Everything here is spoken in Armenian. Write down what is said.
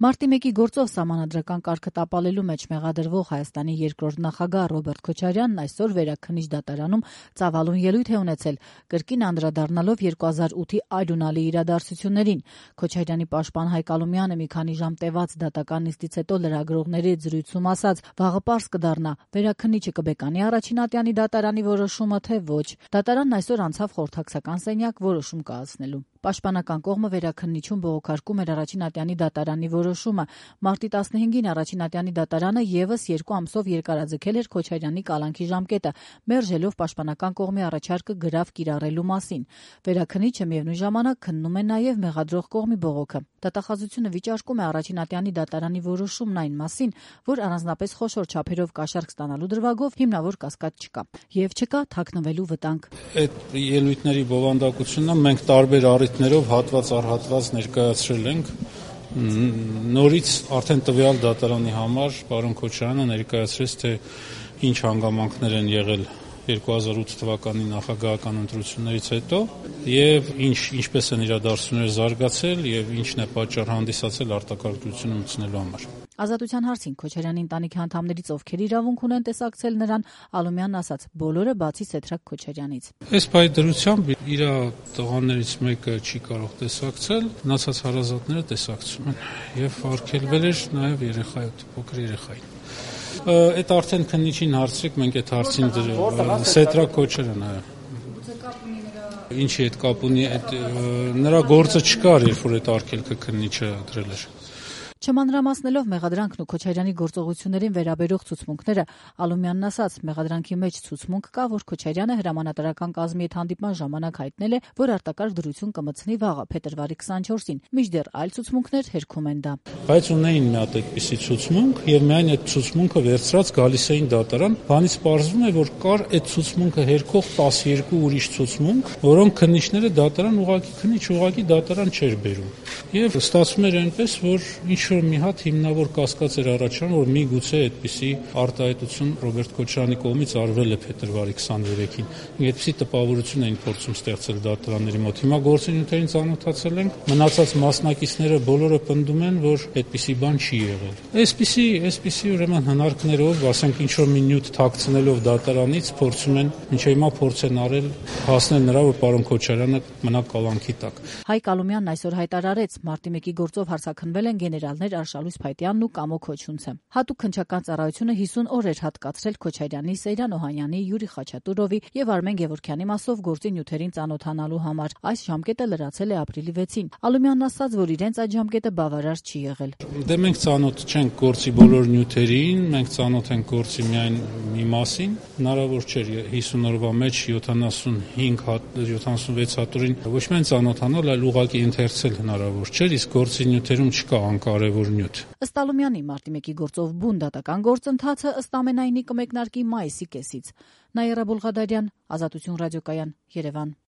Մարտի 1-ի գործով սահմանադրական կարգը տապալելու մեջ մեղադրվող Հայաստանի երկրորդ նախագահ Ռոբերտ Քոչարյանն այսօր Վերաքննիչ դատարանում ծավալուն ելույթ է ունեցել, կրկին անդրադառնալով 2008-ի այլունալի իրադարձություններին։ Քոչարյանի պաշտպան Հայկ Ալումյանը մի քանի ժամ տևած դատական նիստից հետո լրագրողների հետ զրույցում ասաց՝ վաղը պարզ կդառնա, Վերաքննիչը կբեկանի առաջին ատյանի դատարանի որոշումը, թե ոչ։ Դատարանն այսօր անցավ խորհրդակցական սենյակ որոշում կայացնելու։ Պաշտպանական կողմը Վերաքննիչում բողոքարկում էր առաջին ատյանի դատարանի որոշումը։ Մարտի 15-ին առաջին ատյանի դատարանը եւս 2 ամսով երկարաձգել էր Քոչարյանի կալանքի ժամկետը, մերժելով պաշտպանական կողմի առաջարկը գրավ կիրառելու մասին։ Վերաքննիչը միևնույն ժամանակ քննում է նաեւ մեղադրող կողմի բողոքը։ Դատախազությունը վիճարկում է առաջին ատյանի դատարանի որոշումն այն մասին, որ առանձնապես խոշոր չափերով կաշառք ստանալու դրվագով հիմնավոր կասկած չկա եւ չկա թաքնվելու վտանգ։ Այդ ելույթների բովանդակությունը մենք տարբեր առիթներով հատված առ հատված ներկայացրել ենք։ Նորից արդեն տվյալ դատարանի համար պարոն Քոչարյանը ներկայացրեց, թե ինչ հանգամանքներ են եղել 2008 թվականի նախագահական ընտրություններից հետո եւ ինչպես են իրադարձությունները զարգացել եւ ինչն է պատճառ հանդիսացել արտակարգ դրությունը մտցնելու համար։ Ազատության հարցին Քոչարյանի ընտանիքի անդամներից ովքեր իրավունք ունեն տեսակցել նրան, Ալումյանն ասաց՝ բոլորը բացի Սեդրակ Քոչարյանից։ Այս պայդրությամբ իր տղաներից մեկը չի կարող տեսակցել, մնացած հարազատները տեսակցում են եւ արգելվել էր նաեւ փոքր երեխային։ Այդ արդեն քննիչին հարցրեք, մենք այդ հարցին Սեդրակ Քոչարյան այո։ Ինչի հետ կապ ունի, նրա գործը չկար, երբ որ այդ արգելքը քննիչը դրել էր։ Չմանրամասնելով մեղադրանքն ու Քոչարյանի գործողություններին վերաբերող ցուցմունքները, Ալումյանն ասաց՝ մեղադրանքի մեջ ցուցմունք կա, որ Քոչարյանը հրամանատարական կազմի հետ հանդիպման ժամանակ հայտնել է, որ արտակարգ դրություն կմտցնի վաղը, փետրվարի 24-ին, մինչդեռ այլ ցուցմունքներ հերքում են դա։ Բայց ունեին մի հատ այդպիսի ցուցմունք եւ միայն այդ ցուցմունքը վերցրած գալիս էին դատարան, բանից պարզվում է, որ կար այդ ցուցմունքը հերքող 12 ուրիշ ցուցմունք, որոնք քննիչները դատարան ուղղակի դատարան չէր բերում։ Եվ ստացվում էր այնպես, որ ինչ-որ մի հատ հիմնավոր կասկած էր առաջանում, որ միգուցե այդպիսի արտահայտություն Ռոբերտ Քոչարյանի կողմից արվել է փետրվարի 23-ին։ Այդպիսի տպավորություն էին փորձում ստեղծել դատարանների մոտ։ Հիմա գործընթացին ծանոթացել ենք, մնացած մասնակիցները բոլորը պնդում են, որ այդպիսի բան չի եղել։ Այսպիսի ուրեմն հնարքներով, ասենք ինչ-որ մի նյութ թաքցնելով դատարանից փորձում են մինչև հիմա փորձ են արել հասնել նրա, որ պարոն Քոչարյանը մնա կալանքի տակ։ Հայկ Ալումյանն այսօր հայտարարեց, մարտի 1-ի գործով հարցաքննվել են գեներալներ Արշալույս Փայտյանն ու Կամո Քոչունցը։ Հատուկ քննչական ծառայությունը 50 օր էր հատկացրել Քոչարյանի, Սեյրան Օհանյանի, Յուրի Խաչատուրովի եւ Արմեն Գևորգյանի մասով գործի նյութերին ծանոթանալու համար։ Այս ժամկետը լրացել է ապրիլի 6-ին։ Ալումյանն ասաց, որ իրենց այդ ժամկետը բավարար չի եղել։ Դե մենք ծանոթ չենք գործի բոլոր նյութերին, մենք ծանոթ ենք գործի միայն մի մասին։ Հնարավոր չէր 50 օրվա մեջ 76 հատորին ոչ միայն ծանոթանալ, այլ ուղղակի ընթերցել հնարավոր չէր, իսկ գործի նյութերում չկա անկարևոր նյութ։ Ըստ Ալումյանի մարտի 1-ի գործով բուն դատական գործընթացը ըստ ամենայնի կմեկնարկի մայիսի կեսից։ Նաիրա Բուլղադարյան, Ազատություն ռադիոկայան, Երևան։